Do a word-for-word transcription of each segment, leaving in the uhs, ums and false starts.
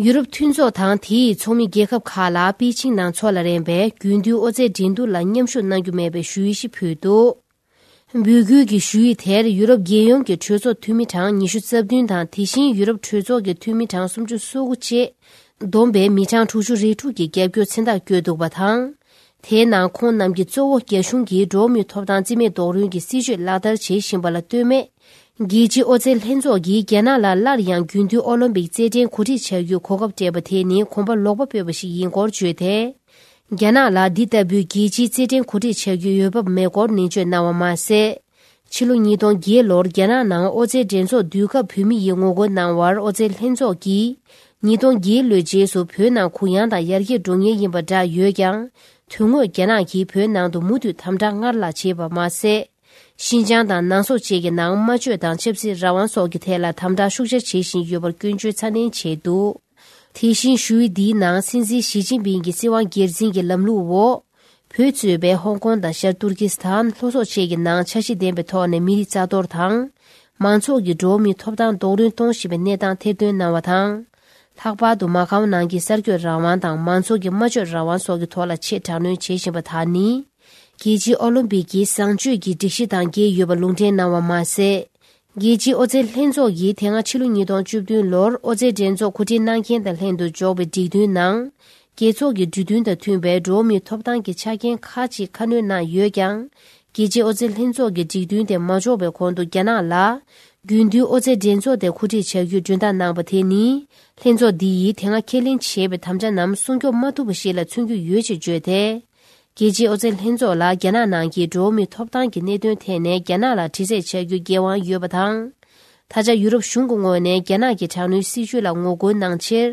ཡུ་རོབ་མཐུན་ཚོགས་དང་དེའི་ཚོགས་མི་རྒྱལ་ཁབ་ཁག་ལ་པེ་ཅིང་ནང་འཚོགས་ལ་རན་པའི་རྒྱུན་མཐུད་ཨོ་རྩལ་འགྲན་བསྡུར་ལ་མཉམ་ཞུགས་གནང་རྒྱུ་མེད་པའི་ཞུ་ཡིག་ཞིག་ཕུལ་འདུག། འབོད་སྐུལ་གྱི་ཞུ་ཡིག་དེར་ཡུ་རོབ་རྒྱལ་ཡོངས་ཀྱི་གྲོས་ཚོགས་འཐུས་མི་གྲངས་ཉི་ཤུ་རྩ་བདུན་དང་དེ་བཞིན་ཡུ་རོབ་གྲོས་ཚོགས་ཀྱི་འཐུས་མི་གྲངས་སུམ་ཅུ་སོ་དགུ་བཅས་བསྡོམས་པའི་མི་གྲངས་དྲུག་ཅུ་རེ་དྲུག་གིས་རྒྱབ་སྐྱོར་མཚན་རྟགས་བཀོད་འདུག་པ་དང་། དེའི་ནང་ཁོང་རྣམས་ཀྱིས་གཙོ་བོ་རྒྱ་གཞུང་གིས་འགྲོ་བ་མིའི་ཐོབ་ཐང་རྩིས་མེད་རྡོག་རོལ་གྱི་སྲིད་བྱུས་ལག་བསྟར་བྱེད་བཞིན་པ་ལ་ལྟོས་མེད། རྒྱལ་སྤྱིའི་ཨོ་རྩལ་ལྷན་ཚོགས་ཀྱིས་རྒྱ་ནག་ལ་སླར་ཡང་རྒྱུན་མཐུད་ཨོ་ལིམ་པིག་རྩེད་འགྲན་གོ་སྒྲིག་བྱ་རྒྱུའི་གོ་སྐབས་སྤྲད་པ་དེ་ནི་གོམ་པ་ལོག་པ་སྤོས་པ་ཞིག་ཡིན་སྐོར་བརྗོད་དེ། རྒྱ་ནག་ལ་འདི་ལྟ་བུའི་རྒྱལ་སྤྱིའི་རྩེད་འགྲན་གོ་སྒྲིག་བྱ་རྒྱུའི་འོས་བབ་མེད་སྐོར་ནན་བརྗོད་གནང་བ་མ་ཟད། ཕྱི་ལོ་ཉིས་སྟོང་བརྒྱད་ལོར་རྒྱ་ནག་ནང་ཨོ་རྩལ་འགྲན་ཚོགས་དུས་སྐབས་བོད་མི་ཡིས་ངོ་རྒོལ་གནང་བར་ཨོ་རྩལ་ལྷན་ཚོགས་ཀྱིས་ཉིས་སྟོང་བརྒྱད་ལོའི་རྗེས་སུ་བོད་ནང་གུ་ཡངས་དང་ཡར་རྒྱས་འགྲོ་ངེས་ཡིན་པ་འདྲ་ཡོད་ཀྱང་། དོན་དངོས་རྒྱ་ནག་གིས་བོད་ནང་དུ་མུ་མཐུད་དམ་དྲག་སྔར་ལྷག་བྱས་པ་མ་ཟད། ཤིན་ཅང་དང་ནང་སོག་བཅས་ཀྱི་ནང་སྨྲ་བརྗོད་དང་ཆབ་སྲིད་རང་དབང་སོགས་ཀྱི་ཐད་ལ་དམ་དྲག་ཤུགས་ཆེར་བྱེད་བཞིན་ཡོད་པར་སྐྱོན་བརྗོད་ཚ་ནན་བྱས་འདུག། དེ་བཞིན་ཞུ་ཡིག་འདིའི་ནང་སྲིད་འཛིན་ཞི་ཅིན་ཕིང་གི་སྲིད་དབང་སྒེར་འཛིན་གྱི་ལམ་ལུགས་འོག་བོད་གཙོས་པའི་ཧོང་ཀོང་དང་ཤར་ཏུར་ཀི་སི་ཐན་ལྷོ་སོག་བཅས་ཀྱི་ནང་འཆར་གཞི་ལྡན་པའི་ཐོག་ནས་མི་རིགས་རྩ་གཏོར་དང་། མང་ཚོགས་ཀྱི་འགྲོ་བ་མིའི་ཐོབ་ཐང་རྡོག་རོལ་གཏོང་བཞིན་པའི་གནས་སྟངས་ཐེར་འདོན་གནང་བ་དང་། ལྷག་པར་དུ་མ་ཁའོ་ནང་གི་གསར་འགོད་རང་དབང་དང་མང་ཚོགས་ཀྱི་སྨྲ་བརྗོད་རང་དབང་སོགས་ཀྱི་ཐོག་ལ་ཆེས་དྲག་གནོན་བྱེད་བཞིན་པ་དག་ནི། རྒྱལ་སྤྱིའི་ཨོ་ལིམ་པིག་གི་བཟང་སྤྱོད་ཀྱི་སྒྲིག་གཞི་དང་འགལ་ཡོད་པ་ལུང་འདྲེན་གནང་བ་མ་ཟད། རྒྱལ་སྤྱིའི་ཨོ་རྩལ་ལྷན་ཚོགས་ཀྱིས་དེ་སྔ་ཕྱི་ལོ་ཉིས་སྟོང་བཅུ་བདུན་ལོར་ཨོ་རྩལ་འགྲན་ཚོགས་གོ་སྒྲིག་གནང་མཁན་དང་ལྷན་དུ་འཇོག་པའི་སྒྲིག་མཐུན་ནང་། རྒྱལ་ཚོགས་ཀྱི་འབྲུ་དོན་དང་མཐུན་པའི་འགྲོ་བ་མིའི་ཐོབ་ཐང་གི་ཆ་རྐྱེན་ཁག་ཅིག་ཁ་སྣོན་གནང་ཡོད་ཀྱང་། རྒྱལ་སྤྱིའི་ཨོ་རྩལ་ལྷན་ཚོགས་ཀྱི་སྒྲིག་མཐུན་དེ་མ་འཇོག་པའི་གོང་དུ་རྒྱ་ནག་ལ། རྒྱུན་མཐུད་ཨོ་རྩལ་འགྲན་ཚོགས་དེ་གོ་སྒྲིག་བྱ་རྒྱུའི་མགྲོན་བརྡ་གནང་པ་དེ་ནི། ལྷན་ཚོགས་འདི་ཡིས་དེ་སྔ་ཁས་ལེན་བྱས་པའི་དམ་བཅའ་རྣམས་སྲུང་སྐྱོབ་མ་ཐུབ་པ་ཞིག་ལ་མཚོན་རྒྱུ་ཡོད་ཅེས་བརྗོད་དེ། རྒྱལ་སྤྱིའི་ཨོ་རྩལ་ལྷན་ཚོགས་ལ་རྒྱ་ནག་ནང་གི་འགྲོ་བ་མིའི་ཐོབ་ཐང་གི་གནད་དོན་ཐད་ནས་རྒྱ་ནག་ལ་དྲི་རྩད་བྱ་རྒྱུའི་འགན་དབང་ཡོད་པ་དང་། ད་ཆ་ཡུ་རོབ་གཞུང་གི་ངོས་ནས་རྒྱ་ནག་གི་དྲག་གནོན་སྲིད་བྱུས་ལ་ངོ་རྒོལ་གནང་ཕྱིར།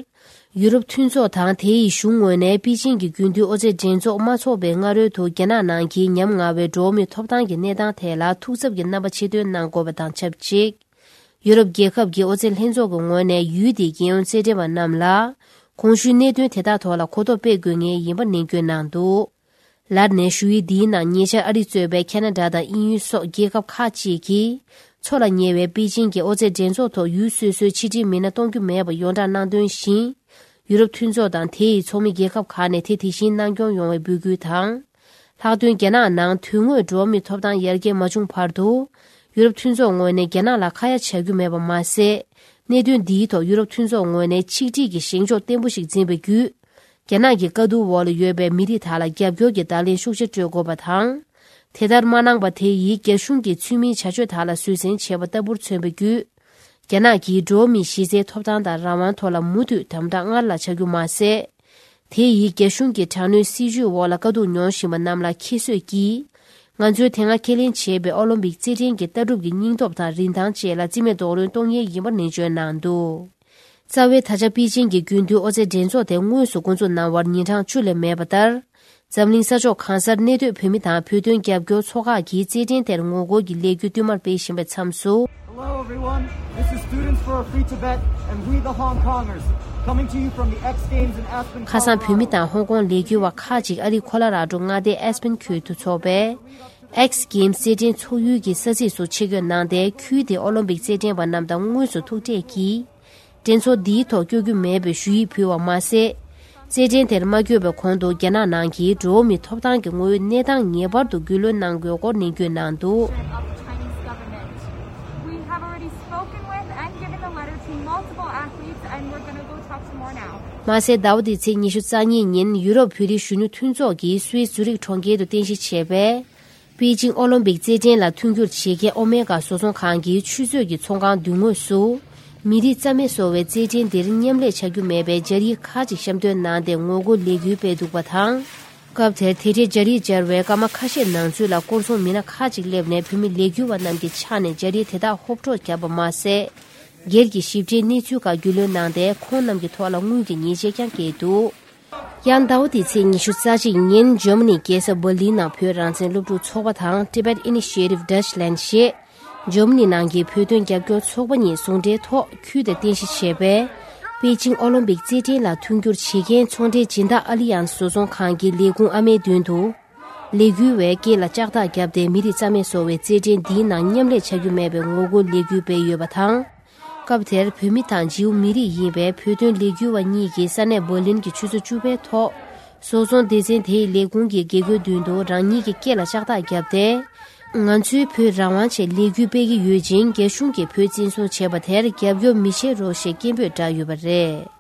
ཡུ་རོབ་མཐུན་ཚོགས་དང་དེའི་གཞུང་ངོས་ནས་པེ་ཅིང་གི་རྒྱུན་མཐུད་ཨོ་རྩལ་འགྲན་ཚོགས་མ་འཚོགས་པའི་སྔ་རོལ་དུ་རྒྱ་ནག་ནང་གི་ཉམ་ང་བའི་འགྲོ་བ་མིའི་ཐོབ་ཐང་གི་གནས་སྟངས་ཐད་ལ་ཐུགས་འཚབ་ཀྱི་རྣམ་པ་ཕྱིར་འདོན་གནང་དགོས་པ་དང་ཆབས་ཅིག། ཡུ་རོབ་རྒྱལ་ཁབ་ཀྱི་ཨོ་རྩལ་ལྷན་ཚོགས་ཀྱི་ངོས་ནས་ཡུལ་དེའི་རྒྱལ་ཡོངས་རྩེད་འགྲན་པ་རྣམས་ལ། གོང་ཞུས་གནད་དོན་དེ་དག་ཐོག་ལ་གོ་རྟོགས་སྤེལ་དགོས་ངེས་ཡིན་པ་ནན་སྐུལ་གནང་འདུག། ལར་ནས་ཞུ་ཡིག་འདིའི་ནང་ཉེ་ཆར་ཨ་རི་གཙོས་པའི་ཁ་ན་ཌ་དང་དབྱིན་ཡུལ་སོགས་རྒྱལ་ཁབ་ཁག་ཅིག་གིས། འཚོགས་ལ་ཉེ་བའི་པེ་ཅིང་གི་ཨོ་རྩལ་འགྲན་ཚོགས་ཐོག་ཡུལ་སོ་སོའི་ཕྱི་འབྲེལ་མི་སྣ་གཏོང་རྒྱུ་མེད་པ་ཡོངས་གྲགས་གནང་དོན་བཞིན། ཡུ་རོབ་མཐུན་ཚོགས་དང་དེའི་ཚོགས་མི་རྒྱལ་ཁབ་ཁག་ནས་དེ་དེ་བཞིན་གནང་སྐྱོང་ཡོང་བའི་འབོད་སྐུལ་དང་། ལྷག་དོན་རྒྱ་ནག་ནང་དོན་དངོས་འགྲོ་བ་མིའི་ཐོབ་ཐང་ཡར་རྒྱས་མ་བྱུང་བར་དུ། ཡུ་རོབ་མཐུན་ཚོགས་ངོས་ནས་རྒྱ་ནག་ལ་ཁ་ཡ་བྱ་རྒྱུ་མེད་པ་མ་ཟད། གནད་དོན་འདིའི་ཐོག་ཡུ་རོབ་མཐུན་ཚོགས་ངོས་ནས་ཆིག་སྒྲིལ་གྱི་བཞེངས་ཕྱོགས་བརྟན་པོ་ཞིག་འཛིན་པའི་བརྒྱུད། རྒྱ་ནག་གི་དཀའ་སྡུག་འོག་ལ་ཡོད་པའི་མི་རིགས་དག་ལ་རྒྱབ་སྐྱོར་གྱི་བརྡ་ལན་ཤུགས་ཆེ་སྤྲོད་དགོས་པ་དང་། དེ་ལྟར་མ་གནང་པ་དེ་ཡིས་རྒྱ་གཞུང་གིས་ཚུལ་མིན་བྱ་སྤྱོད་དག་ལ་བཟོད་བསྲན་བྱས་པ་ལྟ་བུར་མཚོན་པའི་བརྒྱུད། རྒྱ་ནག་གིས་འགྲོ་བ་མིའི་གཞི་རྩའི་ཐོབ་ཐང་དང་རང་དབང་ཐོག་ལ་མུ་མཐུད་དམ་དྲག་སྔར་ལྷག་བྱ་རྒྱུ་མ་ཟད། དེ་ཡིས་རྒྱ་གཞུང་གི་དྲག་གནོན་སྲིད་བྱུས་འོག་ལ་དཀའ་སྡུག་མྱོང་བཞིན་པ་རྣམས་ལ་ཁྱད་གསོད་ཀྱིས། ང་ཚོས་དེ་སྔ་ཁས་ལེན་བྱས་པའི་ཨོ་ལིམ་པིག་རྩེད་འགྲན་གྱི་ལྟ་གྲུབ་ཀྱི་སྙིང་སྟོབས་དང་རིན་ཐང་བཅས་ལ་རྩིས་མེད་རྡོག་རོལ་གཏོང་ངེས་ཡིན་པ་ནན་བརྗོད་གནང་འདུག། རྩ་བའི་ད་ཆ་པེ་ཅིང་གི་རྒྱུན་མཐུད་ཨོ་རྩལ་འགྲན་ཚོགས་དེ་དངོས་སུ་འགོ་འཛུགས་གནང་བར་ཉིན་གྲངས་བཅུ་ལས་མེད་པ་ལྟར། འཛམ་གླིང་ས་ཕྱོགས་གང་སར་གནས་སྡོད་བོད་མི་དང་བོད་དོན་རྒྱབ་སྐྱོར་ཚོགས་ཁག་གིས་རྩེད་འགྲན་དེར་ངོ་རྒོལ་གྱི་ལས་འགུལ་བསྟུད་མར་སྤེལ་བཞིན་པའི་མཚམས་སུ། Hello everyone, this is Students for a Free Tibet and we the Hong Kongers coming to you from the X Games in Aspen, Colorado. ཁ་སང་བོད་མི་དང་ཧོང་ཀོང་ལས་འགུལ་བ་ཁག་ཅིག་ཨ་རིའི་ཁོ་ལ་ར་ཌོ་མངའ་སྡེའི་ཨེ་སི་པན་ཁུལ་དུ་འཚོགས་པའི་X Games རྩེད་འགྲན་འཚོགས་ཡུལ་གྱི་ས་ཚིགས་སུ་ཆེད་བསྐྱོད་གནང་སྟེ། ཁུལ་དེའི་ཨོ་ལིམ་པིག་རྩེད་འགྲན་པ་རྣམས་དང་དངོས་སུ་ཐུག་འཕྲད་ཀྱིས། འགྲན་ཚོགས་འདིའི་ཐོག་བསྐྱོད་རྒྱུ་མེད་པའི་ཞུ་ཡིག་ཕུལ་བ་མ་ཟད། རྩེད་འགྲན་དེར་མ་བསྐྱོད་པའི་གོང་དུ་རྒྱ་ནག་ནང་གི་འགྲོ་བ་མིའི་ཐོབ་ཐང་གི་དངོས་ཡོད་གནས་སྟངས་ངེས་པར་དུ་རྒྱུས་ལོན་གནང་དགོས་སྐོར་ནན་བརྗོད་གནང་འདུག། Of the Chinese government. We have already spoken with and given a letter to multiple athletes, and we're gonna go talk to more now. མ་ཟད། ཟླ་བ་འདིའི་ཚེས་ཉི་ཤུ་རྩ་གཉིས་ཉིན་ཡུ་རོབ་བོད་རིགས་གཞོན་ནུ་མཐུན་ཚོགས་ཀྱིས་སུད་སི་ཛུ་རིག་གྲོང་ཁྱེར་དུ་རྟེན་གཞི་བྱས་པའི། པེ་ཅིང་ཨོ་ལིམ་པིག་རྩེད་འགྲན་ལ་མཐུན་འགྱུར་བྱེད་མཁན་ཨོ་མེ་ག་བཟོ་ཚོང་ཁང་གི་ཆུ་མཛོད་ཀྱི་ཚོང་ཁང་མདུན་ངོས་སུ། མི་རིགས་རྩ་མེད་བཟོ་བའི་རྩེད་འགྲན་འདིར་མཉམ་ལས་བྱ་རྒྱུ་མེད་པའི་སྦྱར་ཡིག་ཁག་ཅིག་བཤམས་སྟོན་གནང་སྟེ་ངོ་རྒོལ་ལས་འགུལ་སྤེལ་འདུག་པ་དང་། སྐབས་དེར་དེ་འབྲེལ་སྦྱར་ཡིག་སྦྱར་བའི་སྐར་མ་ཁ་ཤས་ནང་ཚུད་ལ་སྐོར་སྲུང་མི་སྣ་ཁག་ཅིག་སླེབས་ནས་བོད་མི་ལས་འགུལ་བ་རྣམས་ཀྱི་ཕྱག་ནས་སྦྱར་ཡིག་དེ་དག་ཧོབ་འཕྲོག་བརྒྱབ་པ་མ་ཟད། སྒེར་གྱི་ཞིབ་ཕྲའི་གནས་ཚུལ་ཁག་རྒྱུས་ལོན་གནང་སྟེ་ཁོང་རྣམས་ཀྱི་ཐོག་ལ་དངུལ་གྱི་ཉེས་ཆད་ཀྱང་བཀལ་འདུག། ཡང་ཟླ་བ་འདིའི་ཚེས་ཉི་ཤུ་རྩ་གཅིག་ཉིན་ཇར་མ་ནིའི་རྒྱལ་ས་འབར་ལིན་ནང་བོད་རང་བཙན་སློབ་ཕྲུག་ཚོགས་པ་དང་Tibet Initiative Deutschland ཞེས་ཇར་མ་ནི་ནང་གི་བོད་དོན་རྒྱབ་སྐྱོར་ཚོགས་པ་གཉིས་ཟུང་འབྲེལ་ཐོག་ཁུལ་དེར་རྟེན་གཞི་བྱས་པའི་པེ་ཅིང་ཨོ་ལིམ་པིག་རྩེད་འགྲན་ལ་མཐུན་འགྱུར་བྱེད་མཁན་ཚོང་འབྲེལ་སྦྱིན་བདག་ཨ་ལི་ཡན་བཟོ་ཚོང་ཁང་གི་ལས་ཁུངས་ཨ་མའི་མདུན་དུ། ལས་འགུལ་བའི་སྐེ་ལ་ལྕགས་ཐག་བརྒྱབ་སྟེ་མི་རིགས་རྩ་མེད་བཟོ་བའི་རྩེད་འགྲན་འདིའི་ནང་མཉམ་ལས་བྱ་རྒྱུ་མེད་པའི་ངོ་རྒོལ་ལས་འགུལ་སྤེལ་ཡོད་པ་དང་། སྐབས་དེར་བོད་མི་དང་ཇིའུ་མི་རིགས་ཡིན་པའི་བོད་དོན་ལས་འགུལ་བ་གཉིས་ཀྱིས་ས་གནས་འབར་ལིན་གྱི་ཆུ་ཚོད་བཅུ་པའི་ཐོག་བཟོ་ཚོང་སྡེ་ཚན་དེའི་ལས་ཁུངས་ཀྱི་དགེ་སྐོས་མདུན་དུ་རང་ཉིད་ཀྱི་སྐེ་ལ་ལྕགས་ཐག་བརྒྱབ་སྟེ། ང་ཚོའི་བོད་རང་དབང་ཆེད་ལས་འགུལ་སྤེལ་གྱི་ཡོད་ཅིང་། རྒྱ་གཞུང་གིས་བོད་བཙན་བཟུང་བྱས་པ་དེར་རྒྱབ་སྐྱོར་མི་བྱེད་རོགས་ཞེས་སྐད་འབོད་བསྒྲགས་ཡོད་པ་རེད།